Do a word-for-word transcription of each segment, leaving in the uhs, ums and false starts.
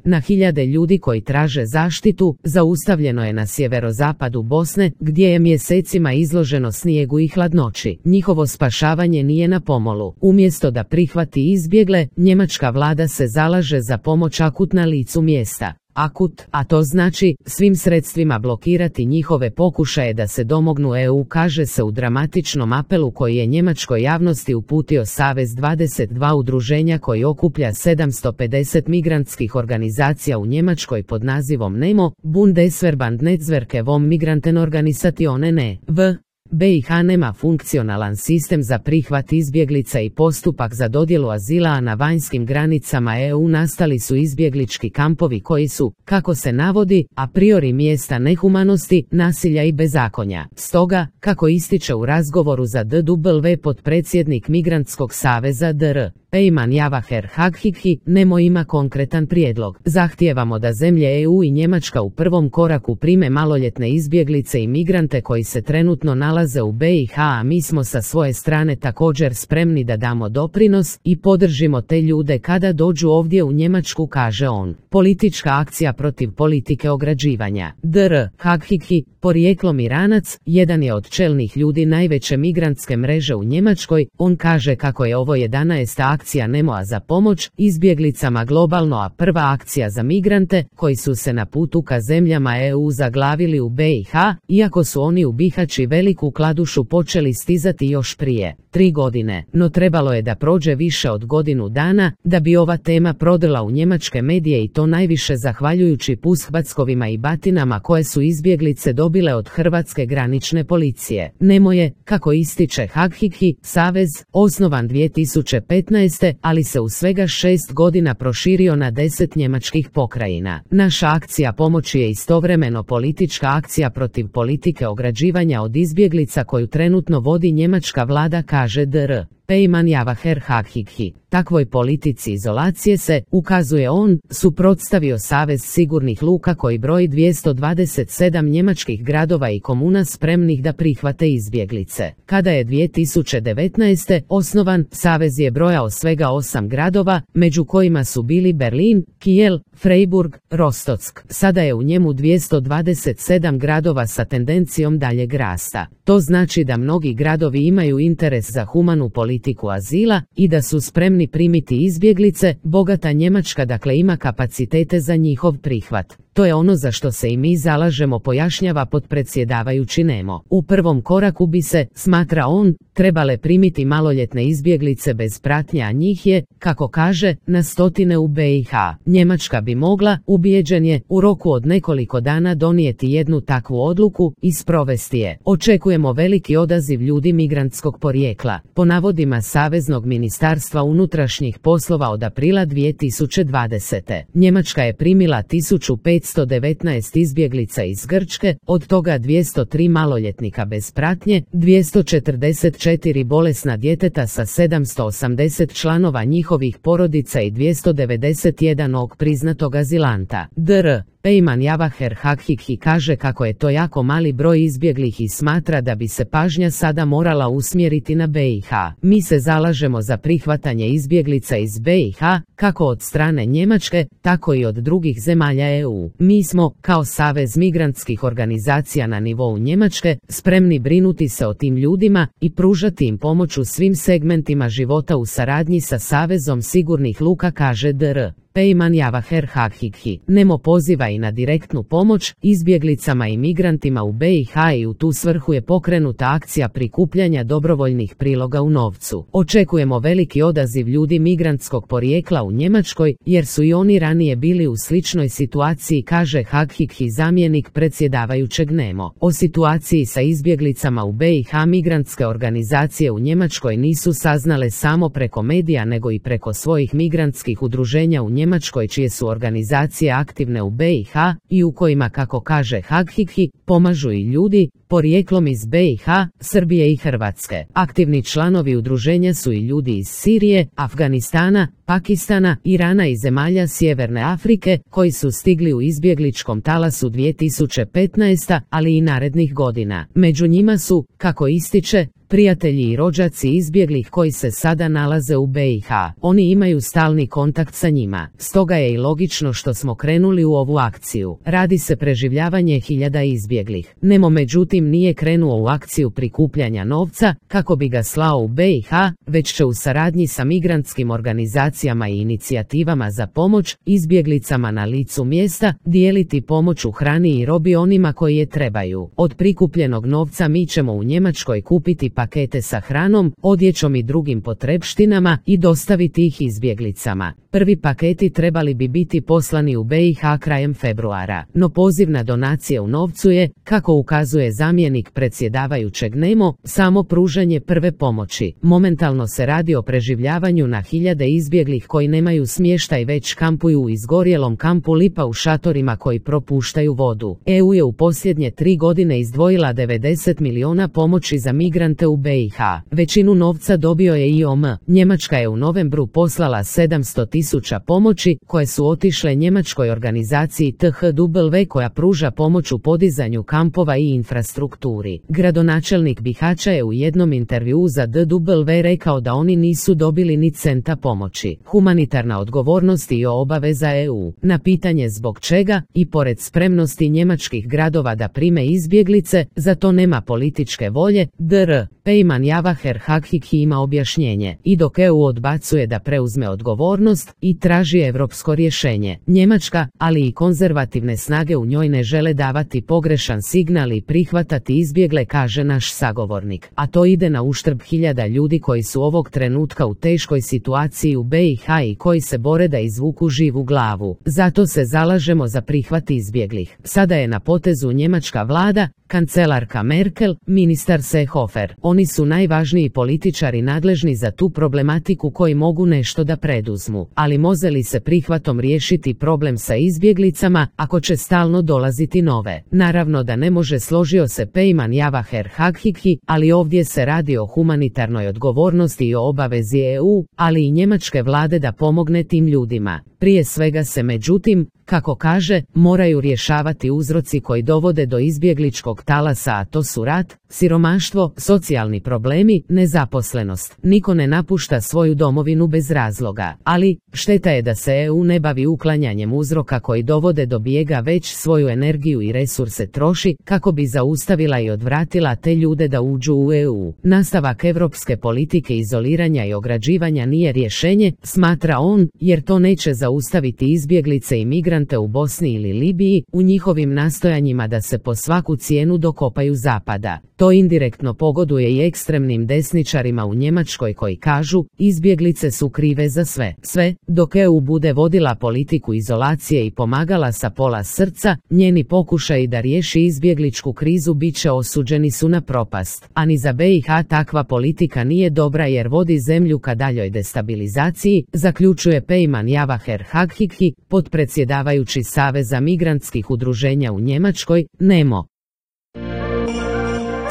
Na hiljade ljudi koji traže zaštitu zaustavljeno je na sjeverozapadu Bosne, gdje je mjesecima izloženo snijegu i hladnoći. Njihovo spašavanje nije na pomolu. Umjesto da prihvati izbjegle, njemačka vlada se zalaže za pomoć akut na licu mjesta. Akut, a to znači svim sredstvima blokirati njihove pokušaje da se domognu E U, kaže se u dramatičnom apelu koji je njemačkoj javnosti uputio Savez dvadeset dva udruženja koji okuplja sedamsto pedeset migrantskih organizacija u Njemačkoj pod nazivom NEMO, Bundesverband Netzwerke vom Migrantenorganisationen e V. B i H nema funkcionalan sistem za prihvat izbjeglica i postupak za dodjelu azila, a na vanjskim granicama E U nastali su izbjeglički kampovi koji su, kako se navodi, a priori mjesta nehumanosti, nasilja i bezakonja. Stoga, kako ističe u razgovoru za D W potpredsjednik Migrantskog saveza D R Pejman Javaher Haghighi, NEMO ima konkretan prijedlog. Zahtijevamo da zemlje E U i Njemačka u prvom koraku prime maloljetne izbjeglice i migrante koji se trenutno nalaze u B i H, a mi smo sa svoje strane također spremni da damo doprinos i podržimo te ljude kada dođu ovdje u Njemačku, kaže on. Politička akcija protiv politike ograđivanja. D R Haghighi, porijeklom Iranac, jedan je od čelnih ljudi najveće migrantske mreže u Njemačkoj. On kaže kako je ovo jedanaesta akcija NEMO-a za pomoć izbjeglicama globalno, a prva akcija za migrante koji su se na putu ka zemljama E U zaglavili u B i H, iako su oni u Bihaći veliku kladušu počeli stizati još prije tri godine, no trebalo je da prođe više od godinu dana da bi ova tema prodrla u njemačke medije, i to najviše zahvaljujući pushbackovima i batinama koje su izbjeglice dobile od hrvatske granične policije. NEMO je, kako ističe Haghighi, savez, osnovan dvije tisuće petnaeste. ali se u svega šest godina proširio na deset njemačkih pokrajina. Naša akcija pomoći je istovremeno politička akcija protiv politike ograđivanja od izbjeglica koju trenutno vodi njemačka vlada, kaže D R Pejman Javaher Haghighi. Takvoj politici izolacije se, ukazuje on, suprotstavio Savez sigurnih luka koji broji dvjesto dvadeset sedam njemačkih gradova i komuna spremnih da prihvate izbjeglice. Kada je dvije tisuće devetnaeste. osnovan, Savez je brojao svega osam gradova, među kojima su bili Berlin, Kiel, Freiburg, Rostock. Sada je u njemu dvjesto dvadeset sedam gradova sa tendencijom daljeg rasta. To znači da mnogi gradovi imaju interes za humanu politiku azila i da su spremni primiti izbjeglice. Bogata Njemačka dakle ima kapacitete za njihov prihvat. To je ono za što se i mi zalažemo, pojašnjava potpredsjedavajući NEMO. U prvom koraku bi se, smatra on, trebale primiti maloljetne izbjeglice bez pratnje, a njih je, kako kaže, na stotine u B i H. Njemačka bi mogla, ubijeđen je, u roku od nekoliko dana donijeti jednu takvu odluku i sprovesti je. Očekujemo veliki odaziv ljudi migrantskog porijekla. Po navodima Saveznog ministarstva unutrašnjih poslova od aprila dvije tisuće dvadesete. Njemačka je primila tisuću petsto devetnaest izbjeglica iz Grčke, od toga dvjesto tri maloljetnika bez pratnje, dvjesto četrdeset četiri bolesna djeteta sa sedamsto osamdeset članova njihovih porodica i dvjesto devedeset jedan og priznatog azilanta. D R Pejman Javaher Haghighi kaže kako je to jako mali broj izbjeglih i smatra da bi se pažnja sada morala usmjeriti na B i H. Mi se zalažemo za prihvatanje izbjeglica iz B i H, kako od strane Njemačke, tako i od drugih zemalja E U. Mi smo, kao Savez migrantskih organizacija na nivou Njemačke, spremni brinuti se o tim ljudima i pružati im pomoć u svim segmentima života u saradnji sa Savezom sigurnih luka, kaže D R Pejman Javaher Haghighi. NEMO poziva i na direktnu pomoć izbjeglicama i migrantima u B i H i u tu svrhu je pokrenuta akcija prikupljanja dobrovoljnih priloga u novcu. Očekujemo veliki odaziv ljudi migrantskog porijekla u Njemačkoj, jer su i oni ranije bili u sličnoj situaciji, kaže Haghighi, zamjenik predsjedavajućeg NEMO. O situaciji sa izbjeglicama u B i H migrantske organizacije u Njemačkoj nisu saznale samo preko medija nego i preko svojih migrantskih udruženja u Njemačkoj, čije su organizacije aktivne u B i H i u kojima, kako kaže Haghighi, pomažu i ljudi porijeklom iz B i H, Srbije i Hrvatske. Aktivni članovi udruženja su i ljudi iz Sirije, Afganistana, Pakistana, Irana i zemalja Sjeverne Afrike, koji su stigli u izbjegličkom talasu dvije tisuće petnaeste. ali i narednih godina. Među njima su, kako ističe, prijatelji i rođaci izbjeglih koji se sada nalaze u B i H. Oni imaju stalni kontakt sa njima. Stoga je i logično što smo krenuli u ovu akciju. Radi se preživljavanje hiljada izbjeglih. Nemo međutim nije krenuo u akciju prikupljanja novca kako bi ga slao u B i H, već će u saradnji sa migrantskim organizacijama i inicijativama za pomoć izbjeglicama na licu mjesta dijeliti pomoć u hrani i robi onima koji je trebaju. Od prikupljenog novca mi ćemo u Njemačkoj kupiti pakete sa hranom, odjećom i drugim potrepštinama i dostaviti ih izbjeglicama. Prvi paketi trebali bi biti poslani u B i H krajem februara, no poziv na donacije u novcu je, kako ukazuje zamjenik predsjedavajućeg Nemo, samo pružanje prve pomoći. Momentalno se radi o preživljavanju na hiljade izbjeglih koji nemaju smještaj već kampuju u izgorjelom kampu Lipa u šatorima koji propuštaju vodu. E U je u posljednje tri godine izdvojila devedeset milijuna pomoći za migrante u B i H. Većinu novca dobio je I O M. Njemačka je u novembru poslala sedamsto tisuća pomoći koje su otišle njemačkoj organizaciji T H W koja pruža pomoć u podizanju kampova i infrastrukturi. Gradonačelnik Bihaća je u jednom intervjuu za D W rekao da oni nisu dobili ni centa pomoći. Humanitarna odgovornost i obaveza E U. Na pitanje zbog čega, i pored spremnosti njemačkih gradova da prime izbjeglice, za to nema političke volje, dr. Pejman Javaher Hakhiki ima objašnjenje. I dok E U odbacuje da preuzme odgovornost i traži europsko rješenje, Njemačka, ali i konzervativne snage u njoj ne žele davati pogrešan signal i prihvatati izbjegle, kaže naš sagovornik. A to ide na uštrb hiljada ljudi koji su ovog trenutka u teškoj situaciji u B i H i koji se bore da izvuku živu glavu. Zato se zalažemo za prihvat izbjeglih. Sada je na potezu njemačka vlada, kancelarka Merkel, ministar Seehofer. Oni su najvažniji političari nadležni za tu problematiku koji mogu nešto da preduzmu. Ali može li se prihvatom riješiti problem sa izbjeglicama ako će stalno dolaziti nove? Naravno da ne može, složio se Pejman Javaher Hakhiki, ali ovdje se radi o humanitarnoj odgovornosti i o obavezi E U, ali i njemačke vlade da pomogne tim ljudima. Prije svega se međutim, kako kaže, moraju rješavati uzroci koji dovode do izbjegličkog talasa, a to su rat, siromaštvo, socijalni problemi, nezaposlenost. Niko ne napušta svoju domovinu bez razloga, ali šteta je da se E U ne bavi uklanjanjem uzroka koji dovode do bijega, već svoju energiju i resurse troši kako bi zaustavila i odvratila te ljude da uđu u E U. Nastavak europske politike izoliranja i ograđivanja nije rješenje, smatra on, jer to neće zaustaviti izbjeglice i migrante u Bosni ili Libiji u njihovim nastojanjima da se po svaku cijenu dokopaju zapada. To indirektno pogoduje i ekstremnim desničarima u Njemačkoj koji kažu, izbjeglice su krive za sve. Sve, dok E U bude vodila politiku izolacije i pomagala sa pola srca, njeni pokušaji da riješi izbjegličku krizu bit će osuđeni su na propast. A ni za B i H takva politika nije dobra jer vodi zemlju ka daljoj destabilizaciji, zaključuje Pejman Javaher Hakhiki, potpredsjedavajući Saveza migrantskih udruženja u Njemačkoj, Nemo.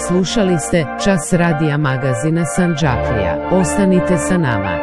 Slušali ste Čas radija magazina Sandžaklija. Ostanite sa nama.